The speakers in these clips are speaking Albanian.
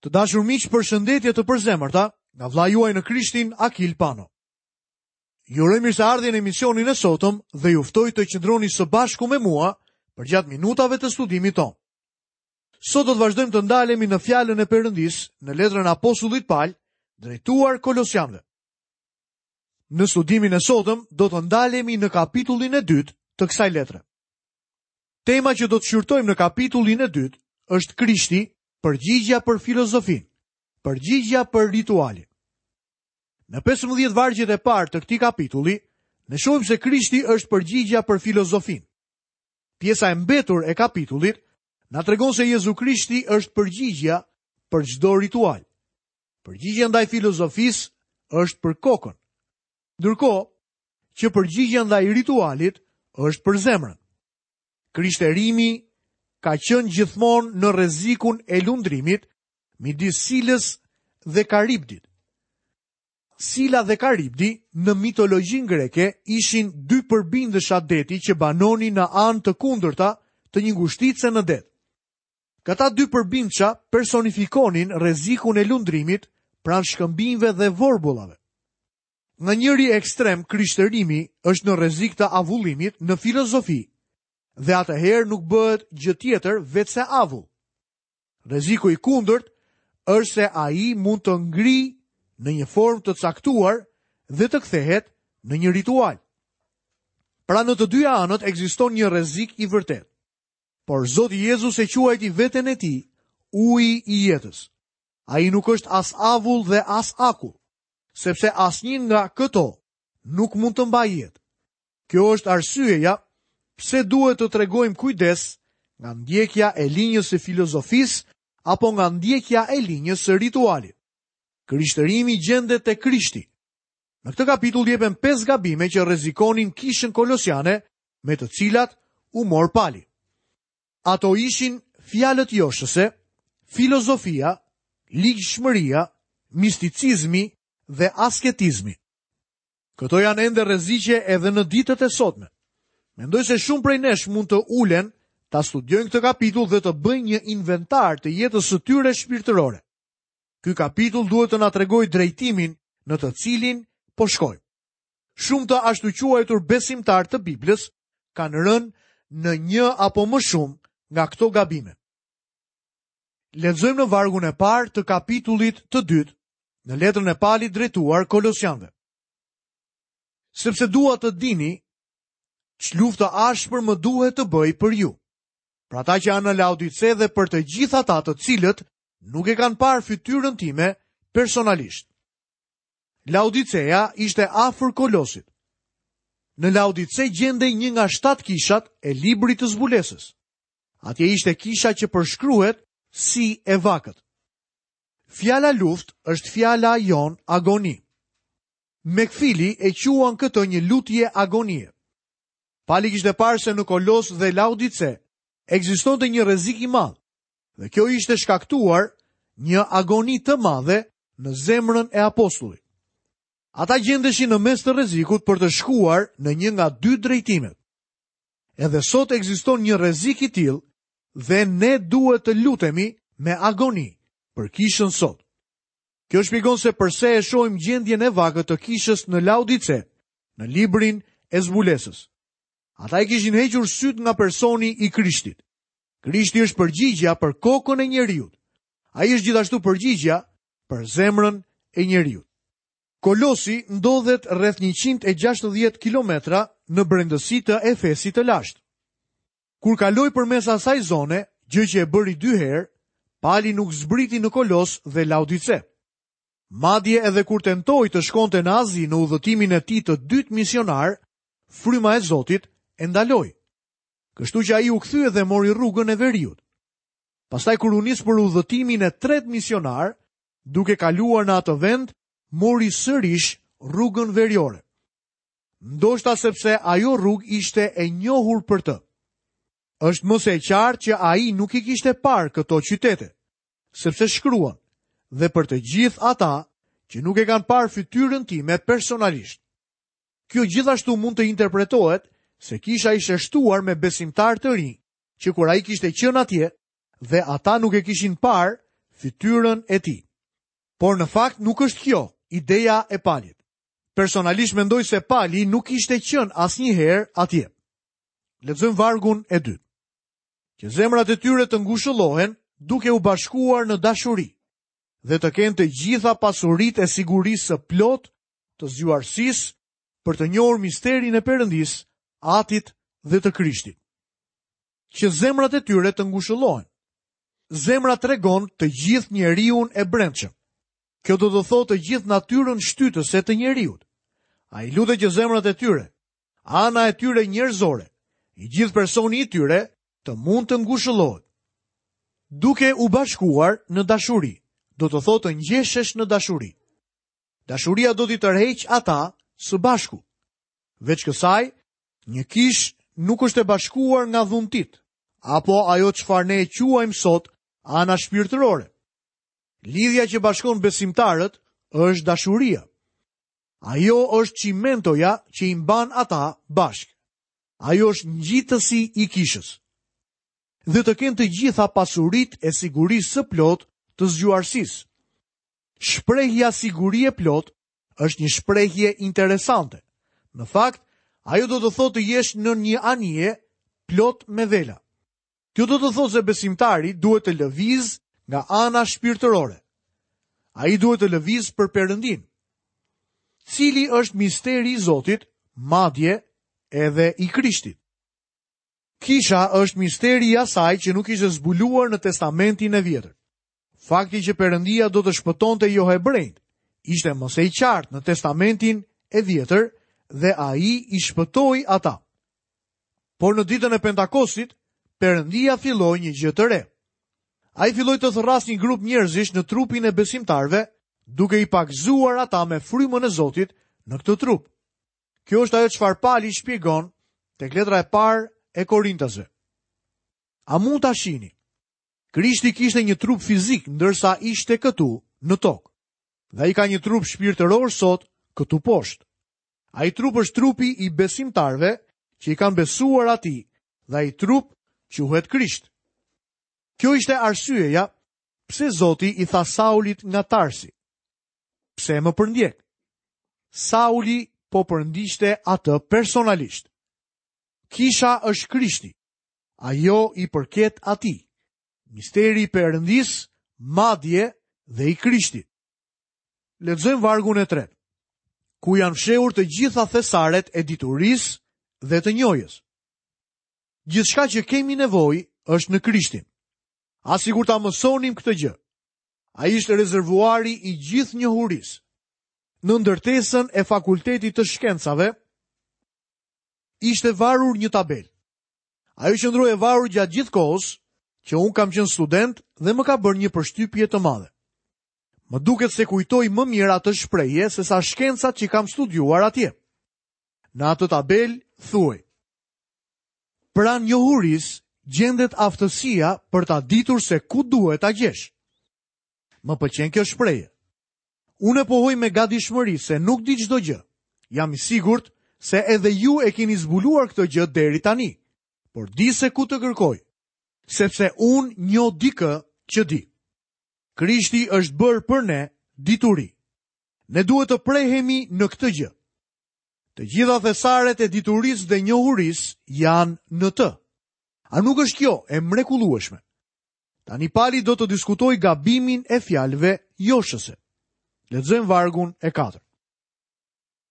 Të dashur miq, përshëndetje të përzemërta nga vëllai juaj në Krishtin Akil Pano. Ju uroj mirëseardhje në emisionin e sotëm dhe ju ftoj të qëndroni së bashku me mua përgjatë minutave të studimit tonë. Sot do të vazhdojmë të ndalemi në fjalën e Perëndisë në letrën e apostullit Pal drejtuar Kolosianëve. Në studimin e sotëm do të ndalemi në kapitullin e dytë të kësaj letre. Tema që do të shqyrtojmë në kapitullin e dytë është Krishti, përgjigja për filozofinë, përgjigja për ritualin. Në 15 vargjet e parë të këtij kapitulli, ne shohim se Krishti është përgjigja për filozofinë. Pjesa e mbetur e kapitullit na tregon se Jezu Krishti është përgjigja për çdo ritual. Përgjigja ndaj filozofisë është për kokën. Ndërkohë, që përgjigja ndaj ritualit është për zemrën. Krishterimi ka qenë gjithmonë në rrezikun e lundrimit midis Silës dhe Karibdit. Sila dhe Karibdi në mitologjinë greke ishin dy përbindësha deti që banonin në anë të kundërta të një ngushtice në det. Këta dy përbindësha personifikonin rrezikun e lundrimit pranë shkëmbinjve dhe vorbullave. Nga njëri ekstrem krishtërimi është në rrezik të avullimit në filozofi dhe atëherë nuk bëhet gjë tjetër veçse avull. Rreziku i kundërt është se ai mund të ngrijë në një formë të caktuar dhe të kthehet në një ritual. Pra në të dyja anët ekziston një rrezik i vërtetë. Por Zoti Jezus e quajti veten e tij uji i jetës. Ai nuk është as avull dhe as akull, sepse asnjë nga këto nuk mund të mbajë jetë. Kjo është arsyeja pse duhet të tregojmë kujdes nga ndjekja e linjës së filozofisë apo nga ndjekja e linjës së ritualit. Krishtërimi gjendet te Krishti. Në këtë kapitull jepen 5 gabime që rrezikonin kishën kolosiane me të cilat u mor Pali. Ato ishin fjalët joshëse, filozofia, ligjshmëria, misticizmi dhe asketizmi. Këto janë ende rreziqe edhe në ditët e sotme. Mendoj se shumë prej nesh mund të ulen, ta studiojnë këtë kapitull dhe të bëjnë një inventar të jetës së tyre shpirtërore. Ky kapitull duhet të na tregojë drejtimin në të cilin po shkojmë. Shumë të ashtuquajtur besimtarë të Biblës kanë rënë në një apo më shumë nga këto gabime. Lexojmë në vargun e parë të kapitullit të dytë në letrën e Palit drejtuar Kolosianëve. Sepse dua të dini ç'luftë të ashpër më duhet të bëj për ju. Për ata që janë në Laodice dhe për të gjithë ata të cilët nuk e kanë parë fytyrën time personalisht. Laodicea ishte afër Kolosit. Në Laodice gjendej një nga shtatë kishat e librit të zbulesës. Atje ishte kisha që përshkruhet si e vakët. Fjala luftë është fjala jonë agoni. Mekfili e quan këtë një lutje agonie. Pali kishte parë se në Kolos dhe Laodice ekzistonte një rrezik i madh dhe kjo ishte shkaktuar një agoni të madhe në zemrën e apostullit. Ata gjendeshin në mes të rrezikut për të shkuar në një nga dy drejtimet. Edhe sot ekziston një rrezik i tillë dhe ne duhet të lutemi me agoni për kishën sot. Kjo shpjegon se përse e shohim gjendjen e vakët të kishës në Laodice, në librin e zbulesës. Ata i kishin hequr sytë nga personi i Krishtit. Krishti është përgjigja për kokën e njeriut. Ai është gjithashtu përgjigja për zemrën e njeriut. Kolosi ndodhet rreth 160 kilometra në brendësi të Efesit të lashtë. Kur kaloi përmes asaj zone, gjë që e bëri dy herë, Pali nuk zbriti në Kolos dhe Laodice. Madje edhe kur tentoi të shkonte në Azi në udhëtimin e tij të dytë misionar, fryma e Zotit e ndaloi. Kështu që ai u kthye dhe mori rrugën e veriut. Pastaj kur u nis për udhëtimin e tretë misionar, duke kaluar në atë vend, mori sërish rrugën veriore. Ndoshta sepse ajo rrugë ishte e njohur për të. Është më se e qartë që ai nuk i kishte parë këto qytete, sepse shkruan, dhe për të gjithë ata që nuk e kanë parë fytyrën time personalisht. Kjo gjithashtu mund të interpretohet se kisha ishte shtuar me besimtarë të rinj, që kur ai kishte qenë atje dhe ata nuk e kishin parë fytyrën e tij. Por në fakt nuk është kjo ideja e Palit. Personalisht mendoj se Pali nuk kishte qenë asnjëherë atje. Lexojmë vargun e dytë. Që zemrat e tyre të ngushëllohen duke u bashkuar në dashuri dhe të kenë të gjitha pasuritë e sigurisë së plotë të zgjuarsisë për të njohur misterin e Perëndisë, Atit dhe të Krishtit. Që zemrat e tyre të ngushëllohen. Zemra tregon të gjithë njeriun e brendshëm. Kjo do të thotë të gjithë natyrën shtytëse të njeriut. Ai lutet që zemrat e tyre, ana e tyre njerëzore, i gjithë personi i tyre të mund të ngushëllohet. Duke u bashkuar në dashuri, do të thotë të ngjeshesh në dashuri. Dashuria do t'i tërheqë ata së bashku. Veç kësaj, një kishë nuk është e bashkuar nga dhuntitë, apo ajo çfarë ne e quajmë sot ana shpirtërore. Lidhja që bashkon besimtarët është dashuria. Ajo është çimentoja që i mban ata bashkë. Ajo është ngjitësi i kishës. Dhe të kenë të gjitha pasuritë e sigurisë së plotë të zgjuarsisë. Shprehja siguri e plotë është një shprehje interesante. Në fakt, ajo do të thotë të jesh në një anije plot me vela. Kjo do të thotë se besimtari duhet të lëvizë nga ana shpirtërore. Ai duhet të lëvizë për Perëndinë. Cili është misteri i Zotit, madje edhe i Krishtit? Kisha është misteri i asaj që nuk ishte zbuluar në Testamentin e Vjetër. Fakti që Perëndia do të shpëtonte johebrenjtë ishte më se i qartë në Testamentin e Vjetër dhe ai i shpëtoi ata. Por në ditën e Pentakostit, Perëndia filloi një gjë të re. Ai filloi të thërrasë një grup njerëzish në trupin e besimtarëve, duke i pagëzuar ata me frymën e Zotit në këtë trup. Kjo është ajo çfarë Pali shpjegon tek letra e parë e Korintasve. A mund ta shihni? Krishti kishte një trup fizik ndërsa ishte këtu në tokë. Dhe ai ka një trup shpirtëror sot këtu poshtë. Ai trup është trupi i besimtarëve që i kanë besuar atij dhe ai trup quhet Krisht. Kjo ishte arsyeja pse Zoti i tha Saulit nga Tarsi. Pse më përndjek? Sauli po përndiqte atë personalisht. Kisha është Krishti. Ajo i përket atij. Misteri i Perëndisë, madje dhe i Krishtit. Lexojmë vargun e tretë. Ku janë fshehur të gjitha thesaret e diturisë dhe të njohjes. Gjithçka që kemi nevojë është në Krishtin. Ah sikur ta mësonim këtë gjë. Ai është rezervuari i gjithë njohurisë. Në ndërtesën e Fakultetit të Shkencave ishte varur një tabelë. Ajo qëndroi e varur gjatë gjithë kohës që unë kam qenë student dhe më ka bërë një përshtypje të madhe. Më duket se kujtoj më mirë atë shprehje sesa shkencat që kam studiuar atje. Në atë tabelë thuhej: Pranë njohurisë gjendet aftësia për ta ditur se ku duhet ta gjesh. Më pëlqen kjo shprehje. Unë e pohoj me gatishmëri se nuk di çdo gjë. Jam i sigurt se edhe ju e keni zbuluar këtë gjë deri tani, por di se ku të kërkoj, sepse unë njoh dikë që di. Krishti është bërë për ne dituri. Ne duhet të prehemi në këtë gjë. Të gjitha thesaret e diturisë dhe njohurisë janë në të. A nuk është kjo e mrekullueshme? Tani Pali do të diskutojë gabimin e fjalëve joshëse. Lexojmë vargun e 4.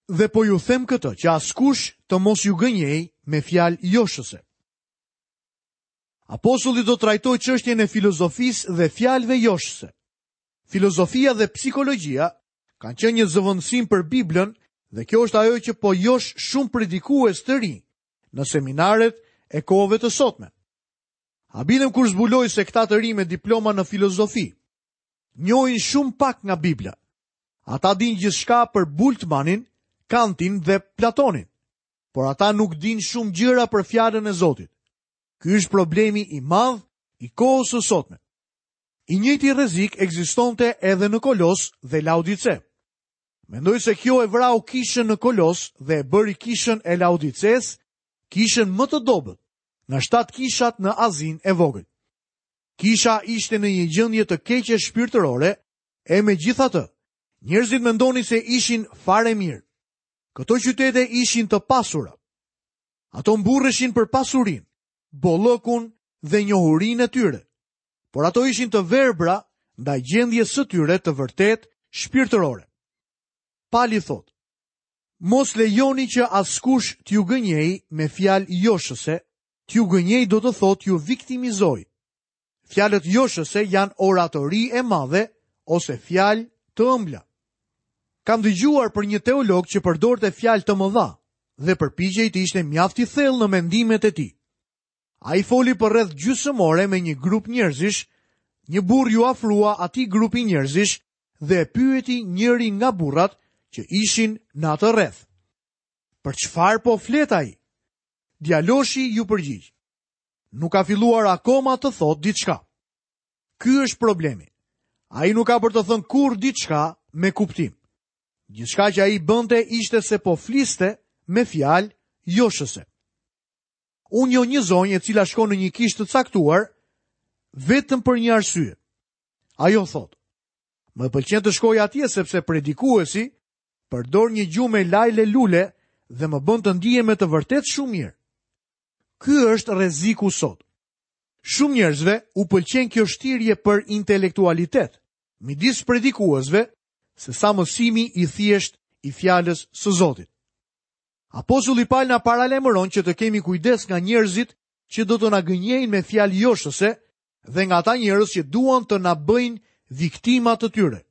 Dhe po ju them këtë që askush të mos ju gënjejë me fjalë joshëse. Apostulli do të trajtojë çështjen e filozofisë dhe fjalëve joshëse. Filozofia dhe psikologjia kanë qenë një zëvendësim për Biblën dhe kjo është ajo që po josh shumë predikues të rinj në seminaret e kohëve të sotme. Habitem kur zbuloj se këta të rinj me diploma në filozofi njohin shumë pak nga Bibla. Ata dinë gjithçka për Bultmanin, Kantin dhe Platonin, por ata nuk dinë shumë gjëra për fjalën e Zotit. Ky është problemi i madh i kohës së sotme. I njëjti rrezik ekzistonte edhe në Kolos dhe Laodice. Mendoj se kjo e vrau kishën në Kolos dhe e bëri kishën e Laodicesë kishën më të dobët nga shtatë kishat në Azinë e Vogël. Kisha ishte në një gjendje të keqe shpirtërore, e megjithatë, njerëzit mendonin se ishin fare mirë. Këto qytete ishin të pasura. Ato mburreshin për pasurinë, bollëkun dhe njohurinë e tyre. Por ato ishin të verbra ndaj gjendjes së tyre të vërtetë shpirtërore. Pali thotë, mos lejoni që askush t'ju gënjejë me fjalë joshëse, t'ju gënjejë do të thotë t'ju viktimizojë. Fjalët joshëse janë oratori e madhe ose fjalë të ëmbla. Kam dëgjuar për një teolog që përdorte fjalë të mëdha dhe përpiqej të ishte mjaft i thellë në mendimet e tij. Ai foli për rreth gjysmë ore me një grup njerëzish, një burrë iu afrua atij grupi njerëzish dhe e pyeti njëri nga burrat që ishin në atë rreth. Për çfarë po flet ai? Djaloshi iu përgjigj. Nuk ka filluar akoma të thotë diçka. Ky është problemi. Ai nuk ka për të thënë kurrë diçka me kuptim. Gjithçka që ai bënte ishte se po fliste me fjalë joshëse. Unë njoh një zonjë e cila shkon në një kishë të caktuar vetëm për një arsye. Ajo thotë, më pëlqen të shkoj atje sepse predikuesi përdor një gjuhë me lajle lule dhe më bën të ndihem me të vërtetë shumë mirë. Ky është rreziku sot. Shumë njerëzve u pëlqen kjo shtirje për intelektualitet midis predikuesve se sa mësimi i thjeshtë i fjalës së Zotit. Apostulli Pal na paralajmëron që të kemi kujdes nga njerëzit që do të na gënjejnë me fjalë joshëse dhe nga ata njerëz që duan të na bëjnë viktima të tyre.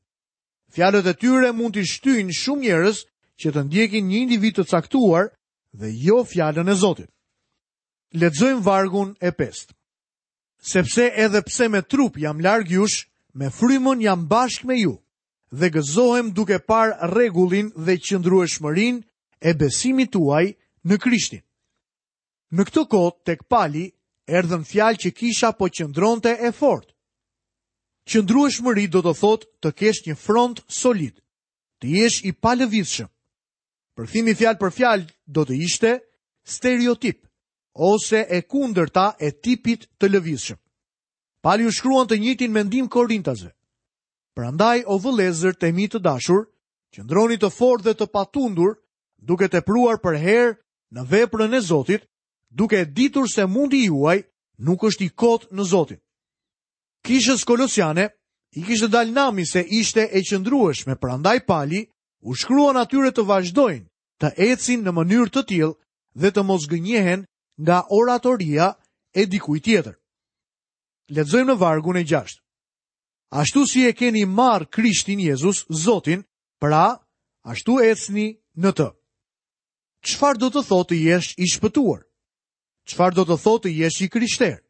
Fjalët e tyre mund t'i shtyjnë shumë njerëz që të ndjekin një individ të caktuar dhe jo fjalën e Zotit. Lexojmë vargun e pestë. Sepse edhe pse me trup jam larg jush, me frymën jam bashkë me ju dhe gëzohem duke parë rregullin dhe qëndrueshmërinë e besimit tuaj në Krishtin. Në këtë kohë tek Pali erdhën fjalë që kisha po qëndronte e fortë. Qëndrueshmëri do të thotë të kesh një front solid, të jesh i palëvizshëm. Përkthimi fjalë për fjalë do të ishte stereotip ose e kundërta e tipit të lëvizshëm. Pali u shkruan të njëjtin mendim Korintasve. Prandaj o vëllezër të mi të dashur, qëndroni të fortë dhe të patundur, duke tepruar përherë në veprën e Zotit, duke e ditur se mundi juaj nuk është i kotë në Zotin. Kishës kolosiane i kishte dalë nami se ishte e qëndrueshme, prandaj Pali u shkruan atyre të vazhdojnë të ecin në mënyrë të tillë dhe të mos gënjehen nga oratoria e dikujt tjetër. Lexojmë në vargun e 6. Ashtu si e keni marrë Krishtin Jezus, Zotin, pra, ashtu ecni në të. Çfarë do të thotë të jesh i shpëtuar? Çfarë do të thotë të jesh i krishterë?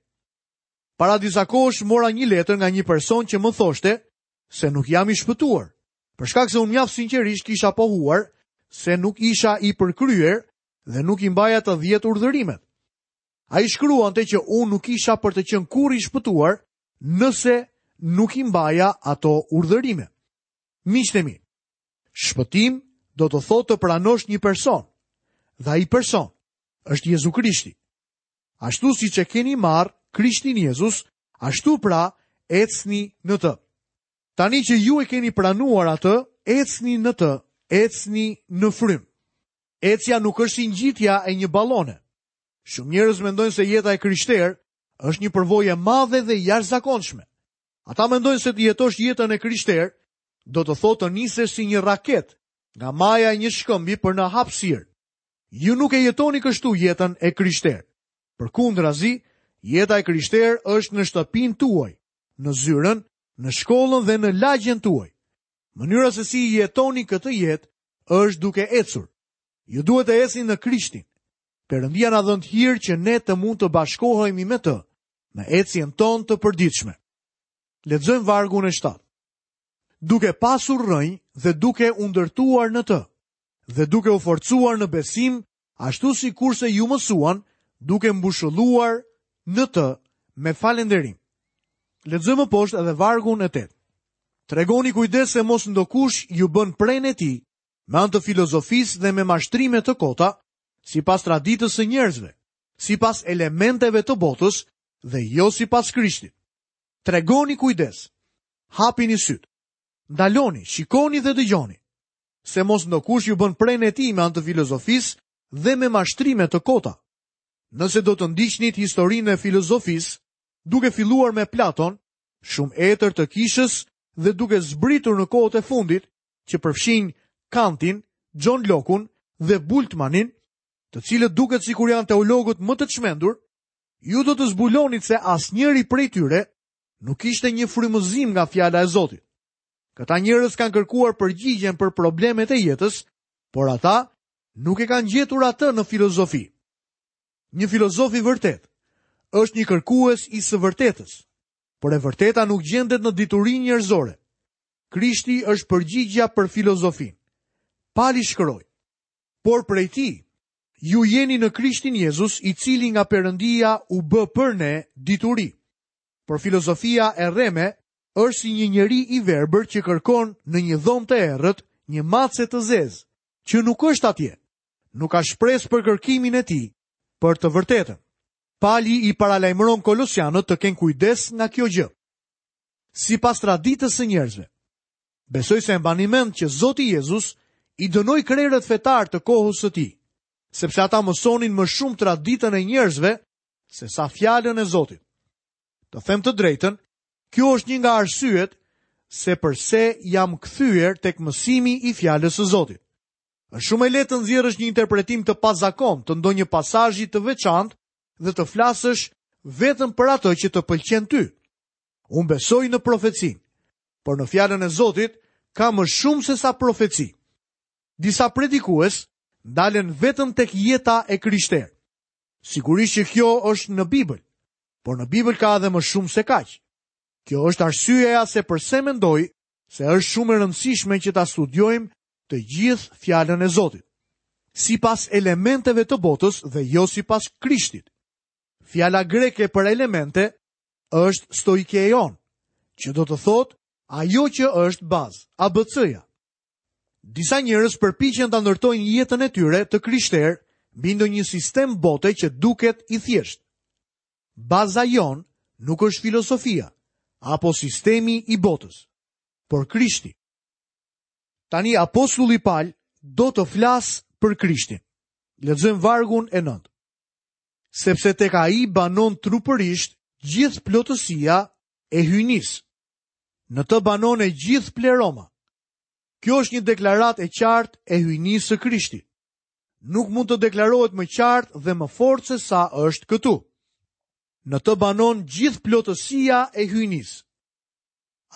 Para disa kohësh mora një letër nga një person që më thoshte se nuk jam i shpëtuar. Për shkak se unë mjaft sinqerisht kisha pohuar se nuk isha i përkryer dhe nuk i mbaja të 10 urdhërimet. Ai shkruante që unë nuk isha për të qenë kurrë i shpëtuar nëse nuk i mbaja ato urdhërime. Miqtë e mi, shpëtim do të thotë të pranosh një person, dhe ai person është Jezu Krishti. Ashtu siç e keni marrë Krishtin Jezus, ashtu pra ecni në të. Tani që ju e keni pranuar atë, ecni në të, ecni në frymë. Ecja nuk është si ngjitja e një balone. Shumë njerëz mendojnë se jeta e krishterë është një përvojë e madhe dhe e jashtëzakonshme. Ata mendojnë se të jetosh jetën e krishterë do të thotë të nisesh si një raketë nga maja e një shkëmbi për në hapësirë. Ju nuk e jetoni kështu jetën e krishterë. Përkundrazi, jeta e krishterë është në shtëpinë tuaj, në zyrën, në shkollën dhe në lagjen tuaj. Mënyra se si jetoni këtë jetë është duke ecur. Ju duhet të ecni në Krishtin. Perëndia na dhëntë hir që ne të mund të bashkohemi me të në ecjen tonë të përditshme. Lexojmë vargun e 7. Duke pasur rrënjë dhe duke u ndërtuar në të dhe duke u forcuar në besim, ashtu sikurse ju mësuan, duke mbushulluar në të me falënderim. Lexojmë më poshtë edhe vargun e 8. Tregoni kujdes se mos ndokush ju bën prenë e tij me anë të filozofisë dhe me mashtrime të kota, sipas traditës së njerëzve, sipas elementeve të botës dhe jo sipas Krishtit. Tregoni kujdes. Hapini sytë. Ndaloni, shikoni dhe dëgjoni. Se mos ndokush ju bën prenë e tij me anë të filozofisë dhe me mashtrime të kota. Nëse do të ndiqnit historinë e filozofisë, duke filluar me Platon, shumë etër të kishës dhe duke zbritur në kohët e fundit, që përfshijnë Kantin, John Locke-un dhe Bultmannin, të cilët duket sikur janë teologët më të çmendur, ju do të zbulonit se asnjëri prej tyre nuk kishte një frymëzim nga fjala e Zotit. Këta njerëz kanë kërkuar përgjigjen për problemet e jetës, por ata nuk e kanë gjetur atë në filozofi. Një filozof i vërtetë është një kërkues i së vërtetës, por e vërteta nuk gjendet në diturinë njerëzore. Krishti është përgjigja për filozofinë. Pali shkroi: Por prej tij, ju jeni në Krishtin Jezus, i cili nga Perëndia u bë për ne dituri. Por filozofia e rreme është si një njeri i verbër që kërkon në një dhomë të errët një mace të zezë, që nuk është atje. Nuk ka shpresë për kërkimin e tij për të vërtetën. Pali i paralajmëron kolosianët të kenë kujdes nga kjo gjë. Sipas traditës së njerëzve, Besoj se e mbani mend që Zoti Jezus i dënoi krerët fetarë të kohës së tij, sepse ata mësonin më shumë traditën e njerëzve sesa fjalën e Zotit. Të them të drejtën, kjo është një nga arsyet se përse jam kthyer tek mësimi i fjalës së Zotit. Është shumë e lehtë të nxjerrësh një interpretim të pazakontë të ndonjë pasazhi të veçantë dhe të flasësh vetëm për atë që të pëlqen ty. Unë besoj në profecinë, por në fjalën e Zotit ka më shumë sesa profeci. Disa predikues ndalen vetëm tek jeta e krishterë. Sigurisht që kjo është në Bibël, por në Bibël ka edhe më shumë se kaq. Kjo është arsyeja se përse mendoj se është shumë e rëndësishme që ta studiojmë të gjithë fjalën e Zotit. Sipas elementeve të botës dhe jo sipas Krishtit. Fjala greke për elemente është stoikeion, që do të thotë ajo që është bazë, ABC-ja. Disa njerëz përpiqen ta ndërtojnë jetën e tyre të krishterë mbi ndonjë sistem bote që duket i thjeshtë. Baza jonë nuk është filozofia apo sistemi i botës, por Krishti. Tani apostulli Pal do të flasë për Krishtin. Lexojmë vargun e 9. sepse tek ai banon trupërisht gjithë plotësia e hyjnisë. Në të banon e gjithë pleroma. Kjo është një deklaratë e qartë e hyjnisë së Krishtit. Nuk mund të deklarohet më qartë dhe më fort se sa është këtu. Në të banon gjithë plotësia e hyjnisë.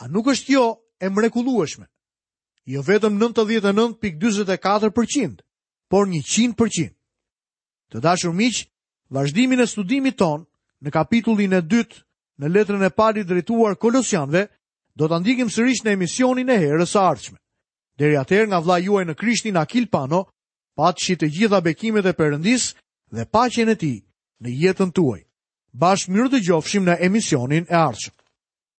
A nuk është kjo e mrekullueshme? Jo vetëm 99.44%, por 100%. Të dashur miq, vazhdimin e studimit tonë në kapitullin e dytë në letrën e Palit drejtuar Kolosianëve, do ta ndjekim sërish në emisionin e herës së ardhshme. Deri atëherë nga vëllai juaj në Krishtin Akil Pano, paçi të gjitha bekimet e Perëndisë dhe paqen e tij në jetën tuaj. Bashkë mirudëgjofshim në emisionin e ardhshëm.